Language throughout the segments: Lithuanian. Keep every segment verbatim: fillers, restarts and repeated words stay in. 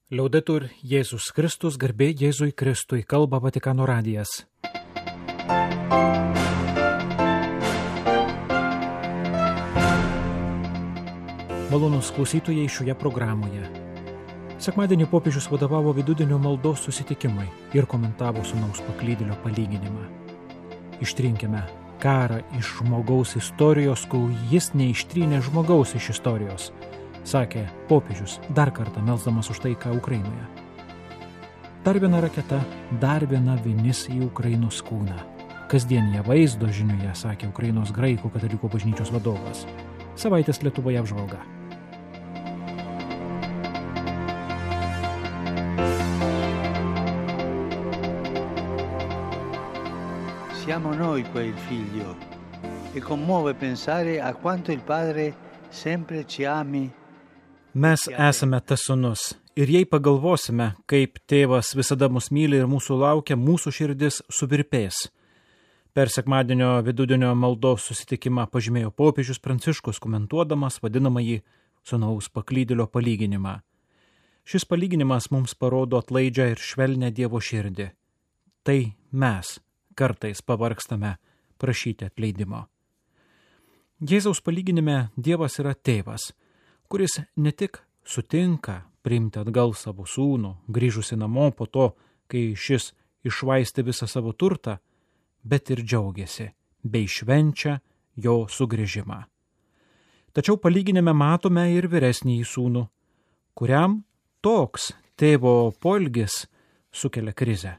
Liaudetur Jėzus Kristus, garbė Jėzui Kristui, kalba Vatikano radijas. Malonūs klausytojai šioje programoje. Sekmadienį popiežius vadovavo vidudienio maldos susitikimui ir komentavo sūnaus paklydėlio palyginimą. Ištrinkime karą iš žmogaus istorijos, kol jis neištrynė žmogaus iš istorijos, sakė popiežius, dar kartą melsdamas už taiką Ukrainoje. Dar viena raketa, dar viena vinis į Ukrainos kūną. Kasdienėje vaizdo žinioje, sakė Ukrainos graikų katalikų bažnyčios vadovas. Savaitės Lietuvoje apžvalga. Siamo noi quel figlio e commuove pensare a quanto il padre sempre ci ami. Mes esame tas sūnus ir jei pagalvosime, kaip tėvas visada mus myli ir mūsų laukia, mūsų širdis suvirpės. Per sekmadienio vidudienio maldos susitikimą pažymėjo popiežius Pranciškus, komentuodamas vadinamąjį sūnaus paklydėlio palyginimą. Šis palyginimas mums parodo atlaidžią ir švelnią Dievo širdį. Tai mes kartais pavargstame prašyti atleidimo. Jėzaus palyginime Dievas yra tėvas, kuris ne tik sutinka priimti atgal savo sūnų, grįžusi namo po to, kai šis iššvaistė visą savo turtą, bet ir džiaugiasi bei švenčia jo sugrįžimą. Tačiau palyginime matome ir vyresnįjį sūnų, kuriam toks tėvo poelgis sukelia krizę,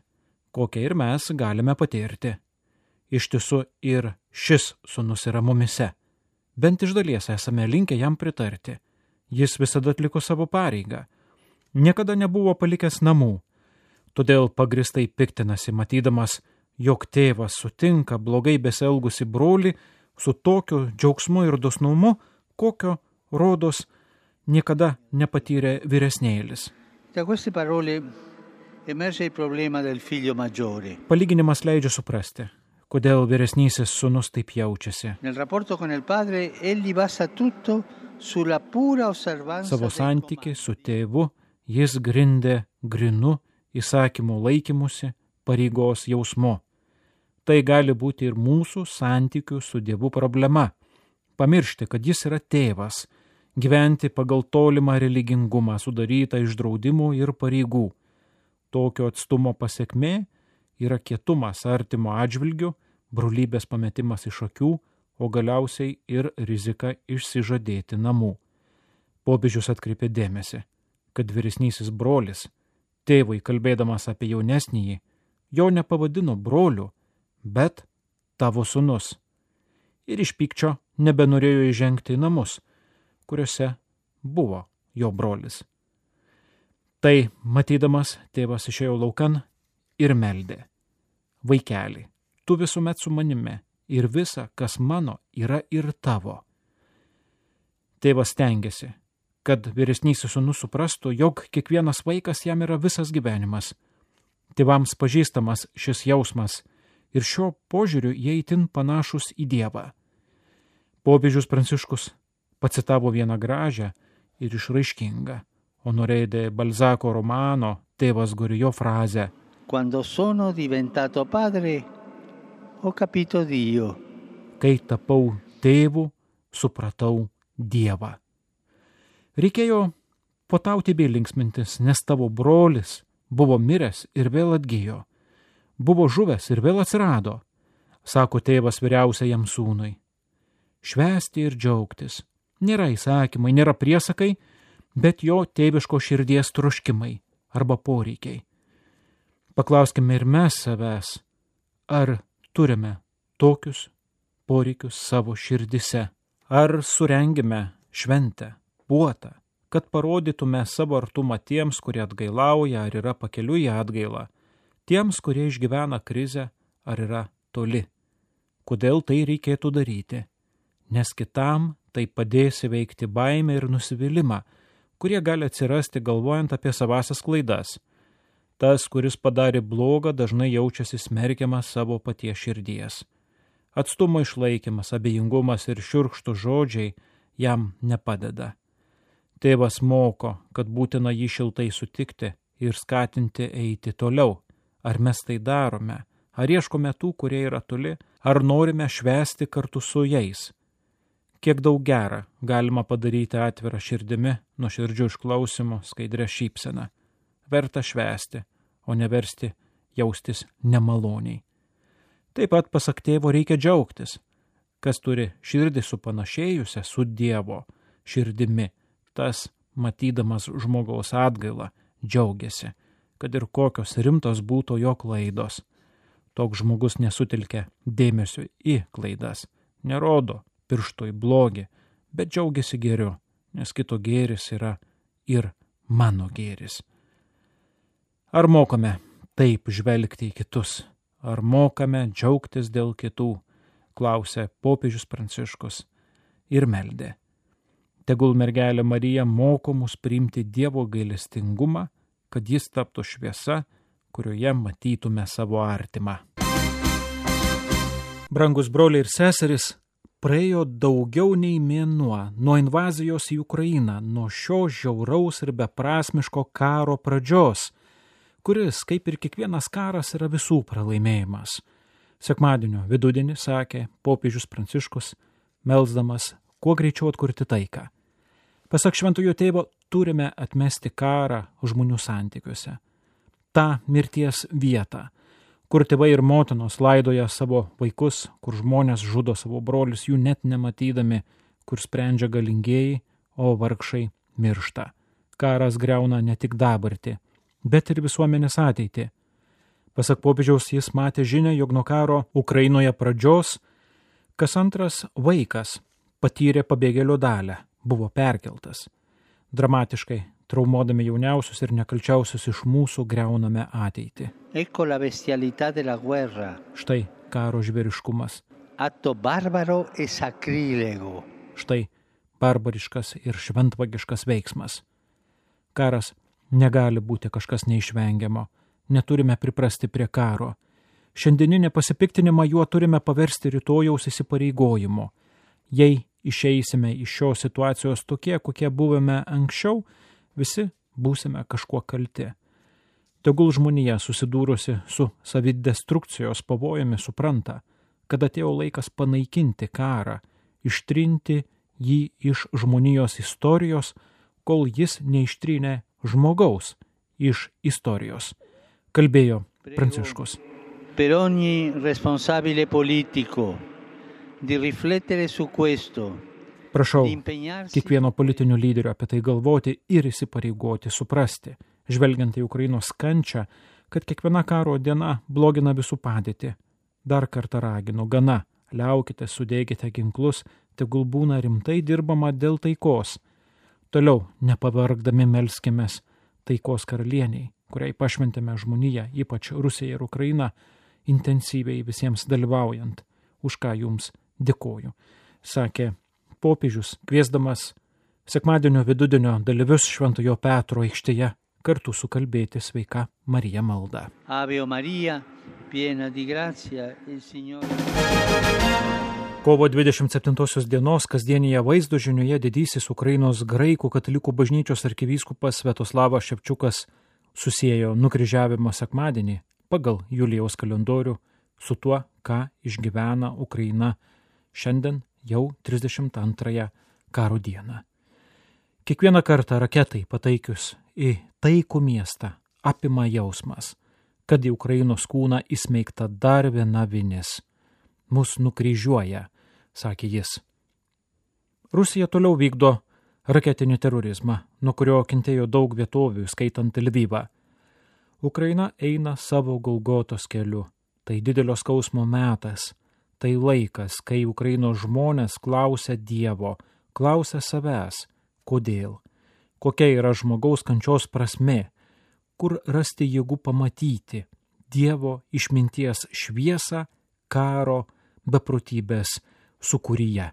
kokią ir mes galime patirti. Iš tiesų ir šis sūnus yra mumise. Bent iš dalies esame linkę jam pritarti. Jis visada atliko savo pareigą. Niekada nebuvo palikęs namų. Todėl pagristai piktinasi, matydamas, jog tėvas sutinka blogai besielgusi brolį su tokiu džiaugsmu ir dosnumu, kokio, rodos, niekada nepatyrė vyresnėlis. Da queste parole emerge il problema del figlio maggiore. Palyginimas leidžia suprasti, kodėl vyresnysis sūnus taip jaučiasi. Nel rapporto con il padre egli basa tutto sulla pura osservanza. Savo santykį su tėvu jis grindė grinu įsakymų laikymusi, pareigos jausmu. Tai gali būti ir mūsų santykių su Dievu problema. Pamiršti, kad jis yra tėvas, gyventi pagal tolimą religingumą sudarytą iš draudimų ir pareigų. Tokio atstumo pasekmė yra kietumas artimo atžvilgiu, brolybės pametimas iš akių, o galiausiai ir rizika išsižadėti namų. Popiežius atkreipė dėmesį, kad vyresnysis brolis, tėvui kalbėdamas apie jaunesnįjį, jo nepavadino broliu, bet tavo sūnus. Ir iš pykčio nebenorėjo įžengti į namus, kuriuose buvo jo brolis. Tai, matydamas, tėvas išėjo laukan ir meldė. Vaikeli, tu visuomet su manimi ir visa, kas mano, yra ir tavo. Tėvas stengiasi, kad vyresnysis sūnus suprastų, jog kiekvienas vaikas jam yra visas gyvenimas. Tėvams pažįstamas šis jausmas ir šio požiūriu jie itin panašus į Dievą. Popiežius Pranciškus pacitavo vieną gražią ir išraiškingą Honoré de Balzaco romano Tėvas Gorijo frazę. Quando sono diventato padre, ho capito Dio. Kai tapau tėvu, supratau Dievą. Reikėjo potauti bei linksmintis, nes tavo brolis buvo miręs ir vėl atgijo. Buvo žuvęs ir vėl atsirado, sako tėvas vyriausiajam sūnui. Švęsti ir džiaugtis. Nėra įsakymai, nėra priesakai, bet jo tėviško širdies troškimai arba poreikiai. Paklauskime ir mes savęs, ar turime tokius poreikius savo širdise, ar surengime šventę, puotą, kad parodytume savo artumą tiems, kurie atgailauja ar yra pakeliui į atgailą, tiems, kurie išgyvena krizę ar yra toli. Kodėl tai reikėtų daryti? Nes kitam tai padės įveikti baimę ir nusivylimą, kurie gali atsirasti galvojant apie savasias klaidas. Tas, kuris padarė blogą, dažnai jaučiasi smerkiamas savo paties širdies. Atstumo išlaikymas, abejingumas ir šiurkštų žodžiai jam nepadeda. Tėvas moko, kad būtina jį šiltai sutikti ir skatinti eiti toliau. Ar mes tai darome? Ar ieškome tų, kurie yra toli? Ar norime švęsti kartu su jais? Kiek daug gera galima padaryti atvirą širdimi, nuoširdžiu išklausimu, skaidrę šypseną. Verta švęsti, o neversti jaustis nemaloniai. Taip pat, pasak tėvo, reikia džiaugtis. Kas turi širdį supanašėjusią su Dievo širdimi, tas, matydamas žmogaus atgailą, džiaugiasi, kad ir kokios rimtos būtų jo klaidos. Toks žmogus nesutelkia dėmesio į klaidas, nerodo piršto į blogį, bet džiaugiasi gėriu, nes kito gėris yra ir mano gėris. Ar mokame taip žvelgti į kitus? Ar mokame džiaugtis dėl kitų? Klausė popiežius Pranciškus ir meldė. Tegul mergelė Marija moko mus priimti Dievo gailestingumą, kad jis taptų šviesa, kurioje matytume savo artimą. Brangus broliai ir seserys, praėjo daugiau nei mėnuo nuo invazijos į Ukrainą, nuo šio žiauraus ir beprasmiško karo pradžios, kuris, kaip ir kiekvienas karas, yra visų pralaimėjimas. Sekmadienio vidudienį sakė popiežius Pranciškus, melsdamas kuo greičiau atkurti taiką. Pasak šventojo tėvo, turime atmesti karą žmonių santykiuose. Ta mirties vietą, kur tėvai ir motinos laidoja savo vaikus, kur žmonės žudo savo brolius jų net nematydami, kur sprendžia galingieji, o vargšai miršta. Karas griauna ne tik dabartį, bet ir visuomenės ateitį. Pasak popiežiaus, jis matė žinią, jog nuo karo Ukrainoje pradžios kas antras vaikas patyrė pabėgėlio dalią, buvo perkeltas. Dramatiškai traumuodami jauniausius ir nekalčiausius iš mūsų griauname ateitį. Ecco la bestialità della guerra. Štai karo žvėriškumas. Atto barbaro e sacrilego. Štai barbariškas ir šventvagiškas veiksmas. Karas negali būti kažkas neišvengiamo. Neturime priprasti prie karo. Šiandieninį pasipiktinimą juo turime paversti rytojaus įsipareigojimu. Jei išeisime iš šios situacijos tokie, kokie buvome anksčiau, visi būsime kažkuo kalti. Tegul žmonija susidūrusi su savidestrukcijos pavojumi supranta, kad atėjo laikas panaikinti karą, ištrinti jį iš žmonijos istorijos, kol jis neištrynė žmogaus iš istorijos. Kalbėjo Pranciškus. Per ogni responsabile politico di riflettere su questo. Prašau kiekvieno politinio lyderio apie tai galvoti ir įsipareigoti suprasti, žvelgiant į Ukrainos kančią, kad kiekviena karo diena blogina visų padėtį. Dar kartą raginu, gana, liaukite, sudėkite ginklus, tegul būna rimtai dirbama dėl taikos. Toliau, nepavargdami melskimės taikos karalieniai, kuriai pašventėme žmoniją, ypač Rusija ir Ukraina, intensyviai visiems dalyvaujant, už ką jums dėkoju, sakė popiežius, kviesdamas sekmadienio vidudienio dalyvius Šventojo Petro aikštėje kartu sukalbėti Sveika Marija maldą. Ave Maria, piena di grazia, il Signore. Kovo dvidešimt septintosios dienos kasdienėje vaizdo žinioje didysis Ukrainos graikų katalikų bažnyčios arkivyskupas Sviatoslavas Ševčiukas susiejo nukryžiavimo sekmadienį pagal Julijaus kalendorių su tuo, ką išgyvena Ukraina šiandien jau trisdešimt antrąją karo dieną. Kiekvieną kartą raketai pataikius į taikų miestą apima jausmas, kad į Ukrainos kūną įsmeigta dar viena vinis. Mus nukryžiuoja, sakė jis. Rusija toliau vykdo raketinį terorizmą, nuo kurio kentėjo daug vietovių, skaitant Lvivą. Ukraina eina savo Golgotos keliu. Tai didelio skausmo metas. Tai laikas, kai Ukrainos žmonės klausia Dievo, klausia savęs, kodėl, kokia yra žmogaus kančios prasmė, kur rasti jėgų pamatyti Dievo išminties šviesą karo beprotybės sūkuryje,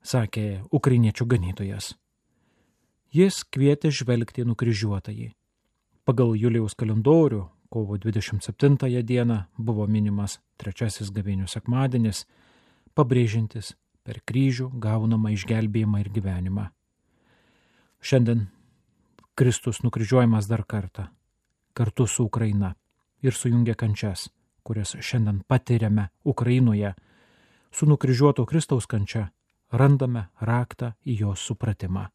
sakė ukrainiečių ganytojas. Jis kvietė žvelgti nukryžiuotąjį. Pagal Julijaus kalendorių kovo dvidešimt septintąją dieną buvo minimas trečiasis gavėnių sekmadienis, pabrėžiantis per kryžių gaunamą išgelbėjimą ir gyvenimą. Šiandien Kristus nukryžiuojamas dar kartą, kartu su Ukraina ir sujungia kančias, kurias šiandien patiriame Ukrainoje. Su nukryžiuoto Kristaus kančia randame raktą į jos supratimą.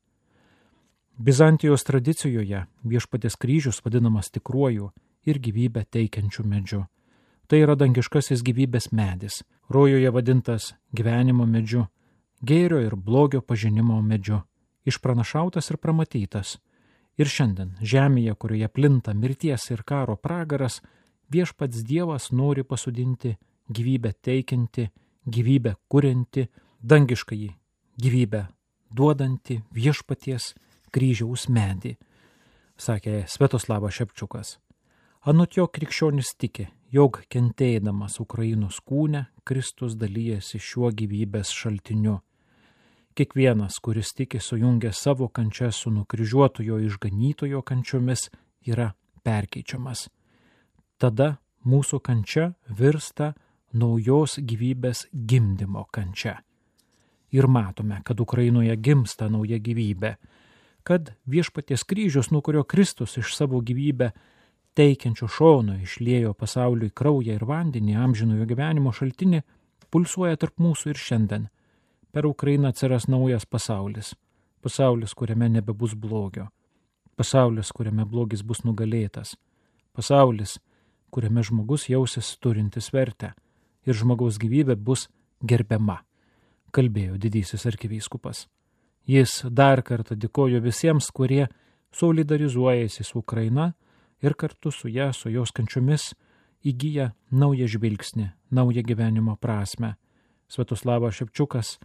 Bizantijos tradicijoje Viešpaties kryžius vadinamas tikruoju ir gyvybę teikiančiu medžiu. Tai yra dangiškasis gyvybės medis, rojoje vadintas gyvenimo medžiu, gėrio ir blogio pažinimo medžiu, išpranašautas ir pramatytas. Ir šiandien žemėje, kurioje plinta mirties ir karo pragaras, Viešpats Dievas nori pasodinti gyvybę teikianti, gyvybę kurianti, dangiškąjį gyvybę duodanti Viešpaties kryžiaus medį, sakė Sviatoslavas Ševčiukas. Anot jo krikščionis tiki, jog kentėdamas Ukrainos kūne, Kristus dalyjasi šiuo gyvybės šaltiniu. Kiekvienas, kuris tiki sujungę savo kančias su nukryžiuotojo išganytojo kančiomis, yra perkeičiamas. Tada mūsų kančia virsta naujos gyvybės gimdymo kančia. Ir matome, kad Ukrainoje gimsta nauja gyvybė, kad Viešpaties kryžius, nuo kurio Kristus iš savo gyvybę teikiančio šono išliejo pasauliui kraują ir vandenį, amžinojo gyvenimo šaltinį, pulsuoja tarp mūsų ir šiandien. Per Ukrainą atsiras naujas pasaulis. Pasaulis, kuriame nebebus blogio. Pasaulis, kuriame blogis bus nugalėtas. Pasaulis, kuriame žmogus jausis turintis vertę ir žmogaus gyvybė bus gerbiama, kalbėjo didysis arkivyskupas. Jis dar kartą dėkojo visiems, kurie solidarizuojasi su Ukraina ir kartu su ją, su jos kančiomis, įgyja naują žvilgsnį, naują gyvenimo prasme. Sviatoslavas Ševčiukas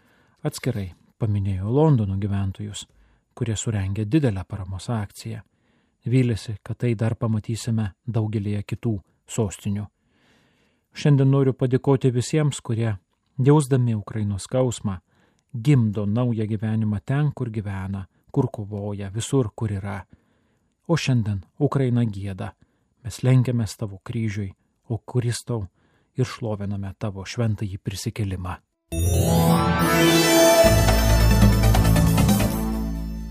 atskirai paminėjo Londono gyventojus, kurie surengė didelę paramos akciją. Vylėsi, kad tai dar pamatysime daugelėje kitų sostinių. Šiandien noriu padėkoti visiems, kurie, jausdami Ukrainos skausmą, gimdo naują gyvenimą ten, kur gyvena, kur kovoja, visur, kur yra. O šiandien Ukraina gieda, mes lenkiamės tavo kryžiui, o Kristau ir šloviname tavo šventąjį prisikėlimą.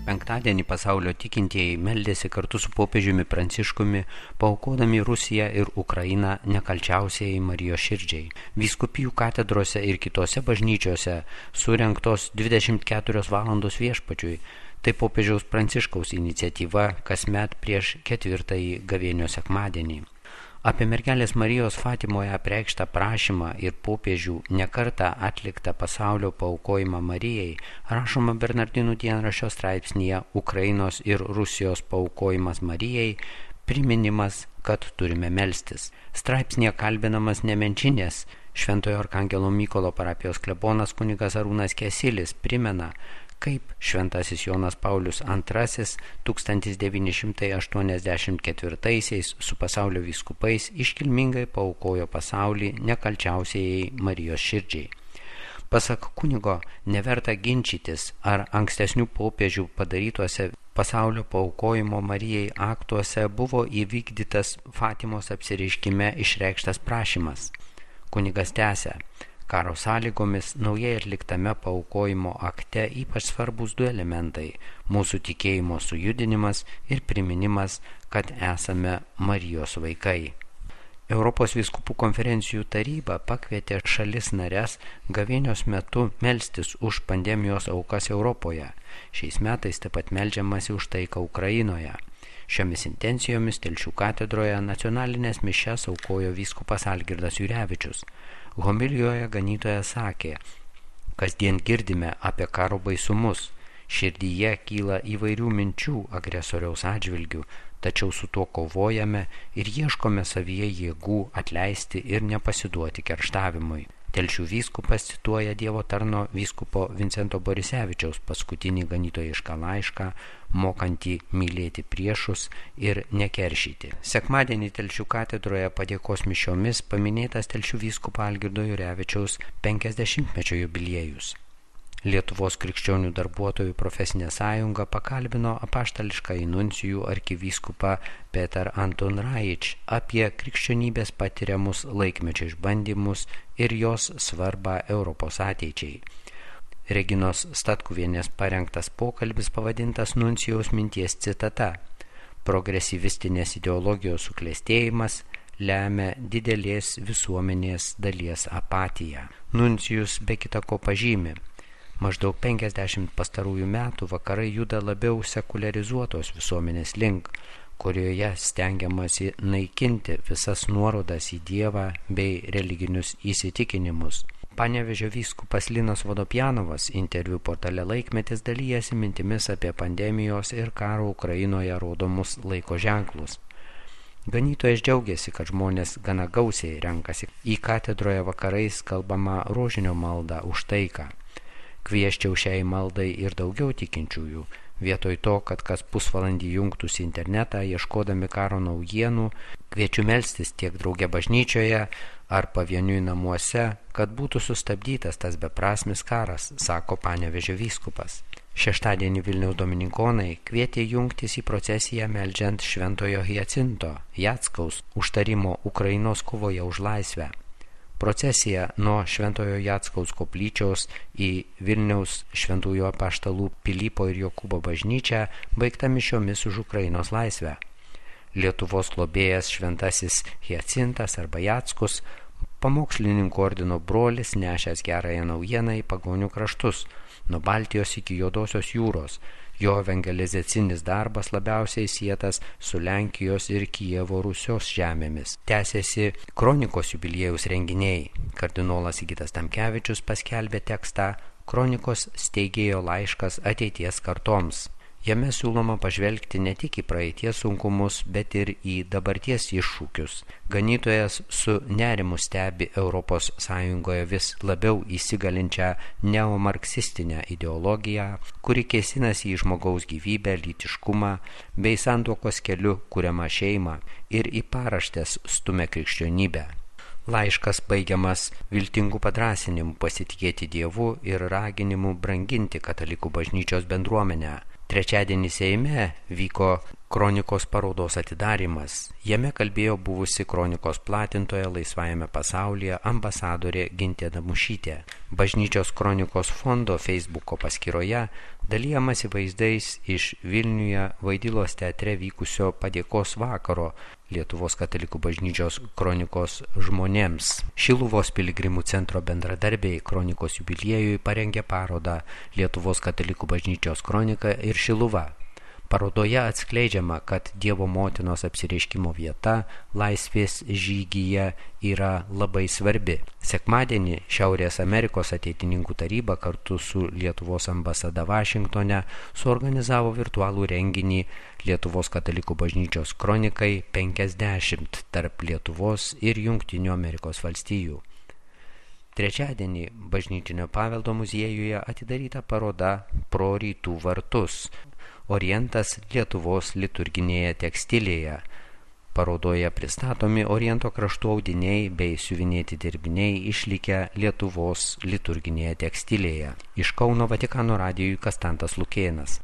Penktadienį pasaulio tikintieji meldėsi kartu su popiežiumi Pranciškumi, paaukodami Rusiją ir Ukrainą nekalčiausiai Marijos širdžiai. Vyskupijų katedrose ir kitose bažnyčiose surengtos dvidešimt keturios valandos viešpačiui. Tai popiežiaus Pranciškaus iniciatyva kasmet prieš ketvirtąjį gavėnios sekmadienį. Apie mergelės Marijos Fatimoje apreikštą prašymą ir popiežių nekartą atliktą pasaulio paaukojimą Marijai rašoma Bernardinų dienraščio straipsnyje Ukrainos ir Rusijos paaukojimas Marijai, priminimas, kad turime melstis. Straipsnyje kalbinamas Nemenčinės Šventojo Arkangelo Mykolo parapijos klebonas kunigas Arūnas Kesilis primena, kaip šventasis Jonas Paulius antrasis tūkstantis devyni šimtai aštuoniasdešimt ketvirtaisiais su pasaulio vyskupais iškilmingai paaukojo pasaulį nekalčiausiai Marijos širdžiai. Pasak kunigo, neverta ginčytis, ar ankstesnių popiežių padarytuose pasaulio paaukojimo Marijai aktuose buvo įvykdytas Fatimos apsireiškime išreikštas prašymas. Kunigas tęsia, karo sąlygomis naujai atliktame paaukojimo akte ypač svarbus du elementai – mūsų tikėjimo sujudinimas ir priminimas, kad esame Marijos vaikai. Europos vyskupų konferencijų taryba pakvietė šalis nares gavėnios metu melstis už pandemijos aukas Europoje. Šiais metais taip pat meldžiamasi už taiką Ukrainoje. Šiomis intencijomis Telšių katedroje nacionalinės mišias aukojo vyskupas Algirdas Jurevičius. Homilijoje ganytojas sakė, kasdien girdime apie karo baisumus, širdyje kyla įvairių minčių agresoriaus atžvilgių, tačiau su tuo kovojame ir ieškome savyje jėgų atleisti ir nepasiduoti kerštavimui. Telšių vyskupas cituoja Dievo tarno vyskupo Vincento Borisevičiaus paskutinį ganytojišką laišką, mokantį mylėti priešus ir nekeršyti. Sekmadienį Telšių katedroje padėkos mišiomis paminėtas Telšių vyskupo Algirdo Jurevičiaus penkiasdešimtmečio jubiliejus. Lietuvos krikščionių darbuotojų profesinė sąjunga pakalbino apaštališkąjį nuncijų arkivyskupą Petar Anton Raič apie krikščionybės patiriamus laikmečio išbandymus ir jos svarbą Europos ateičiai. Reginos Statkuvienės parengtas pokalbis pavadintas Nuncijaus minties citata: progresyvistinės ideologijos suklestėjimas lemia didelės visuomenės dalies apatiją. Nuncijus be kita ko pažymi: maždaug penkiasdešimt pastarųjų metų vakarai juda labiau sekuliarizuotos visuomenės link, kurioje stengiamasi naikinti visas nuorodas į Dievą bei religinius įsitikinimus. Panevėžio vyskupas Linas Vodopjanovas interviu portale Laikmetis dalyjasi mintimis apie pandemijos ir karo Ukrainoje rodomus laiko ženklus. Ganytojas džiaugiasi, kad žmonės gana gausiai renkasi į katedroje vakarais kalbamą rožinio maldą už taiką. Kvieščiau šiai maldai ir daugiau tikinčiųjų, vietoj to, kad kas pusvalandį jungtųsi internetą ieškodami karo naujienų, kviečiu melstis tiek drauge bažnyčioje ar pavieniui namuose, kad būtų sustabdytas tas beprasmis karas, sako Panevėžio vyskupas. Šeštadienį Vilniaus dominikonai kvietė jungtis į procesiją meldžiant šventojo Hiacinto Jackaus užtarimo Ukrainos kovoje už laisvę. Procesija nuo šventojo Jackaus koplyčios į Vilniaus šventųjų apaštalų Pilypo ir Jokūbo bažnyčią baigta mišiomis už Ukrainos laisvę. Lietuvos globėjas šventasis Hiacintas arba Jackus, pamokslininkų ordino brolis, nešęs gerąją naujieną į pagonių kraštus, nuo Baltijos iki Juodosios jūros. Jo evangelizacinis darbas labiausiai sietas su Lenkijos ir Kijevo Rusios žemėmis. Tęsiasi kronikos jubiliejaus renginiai. Kardinolas Sigitas Tamkevičius paskelbė tekstą Kronikos steigėjo laiškas ateities kartoms. Jame siūloma pažvelgti ne tik į praeities sunkumus, bet ir į dabarties iššūkius. Ganytojas su nerimu stebi Europos Sąjungoje vis labiau įsigalinčią neomarksistinę ideologiją, kuri kėsinasi į žmogaus gyvybę, lytiškumą bei santuokos keliu kuriamą šeimą ir į paraštės stumia krikščionybę. Laiškas baigiamas viltingų padrąsinimų pasitikėti Dievu ir raginimu branginti katalikų bažnyčios bendruomenę. Trečiadienį Seime vyko kronikos parodos atidarymas. Jame kalbėjo buvusi kronikos platintoja laisvajame pasaulyje ambasadorė Gintė Damušytė. Bažnyčios kronikos fondo Facebooko paskyroje dalijamasi vaizdais iš Vilniuje Vaidilos teatre vykusio padėkos vakaro Lietuvos katalikų bažnyčios kronikos žmonėms. Šiluvos piligrimų centro bendradarbiai kronikos jubiliejui parengė parodą Lietuvos katalikų bažnyčios kronika ir Šiluva. Parodoje atskleidžiama, kad Dievo motinos apsireiškimo vieta laisvės žygyje yra labai svarbi. Sekmadienį Šiaurės Amerikos ateitininkų taryba kartu su Lietuvos ambasada Vašingtone suorganizavo virtualų renginį Lietuvos katalikų bažnyčios kronikai penkiasdešimt tarp Lietuvos ir Jungtinių Amerikos valstijų. Trečiadienį Bažnytinio paveldo muziejuje atidaryta paroda Pro rytų vartus. Orientas Lietuvos liturginėje tekstilėje. Parodoje pristatomi Oriento kraštų audiniai bei siuvinėti dirbiniai išlikę Lietuvos liturginėje tekstilėje. Iš Kauno Vatikano radijui Kastantas Lukėnas.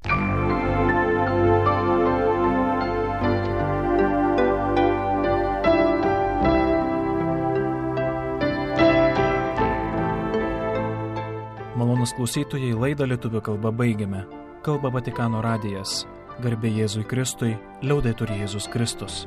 Malonūs klausytojai, laidą lietuvių kalba baigiame. Kalba Vatikano radijas. Garbė Jėzui Kristui, liaudetur Jėzus Kristus.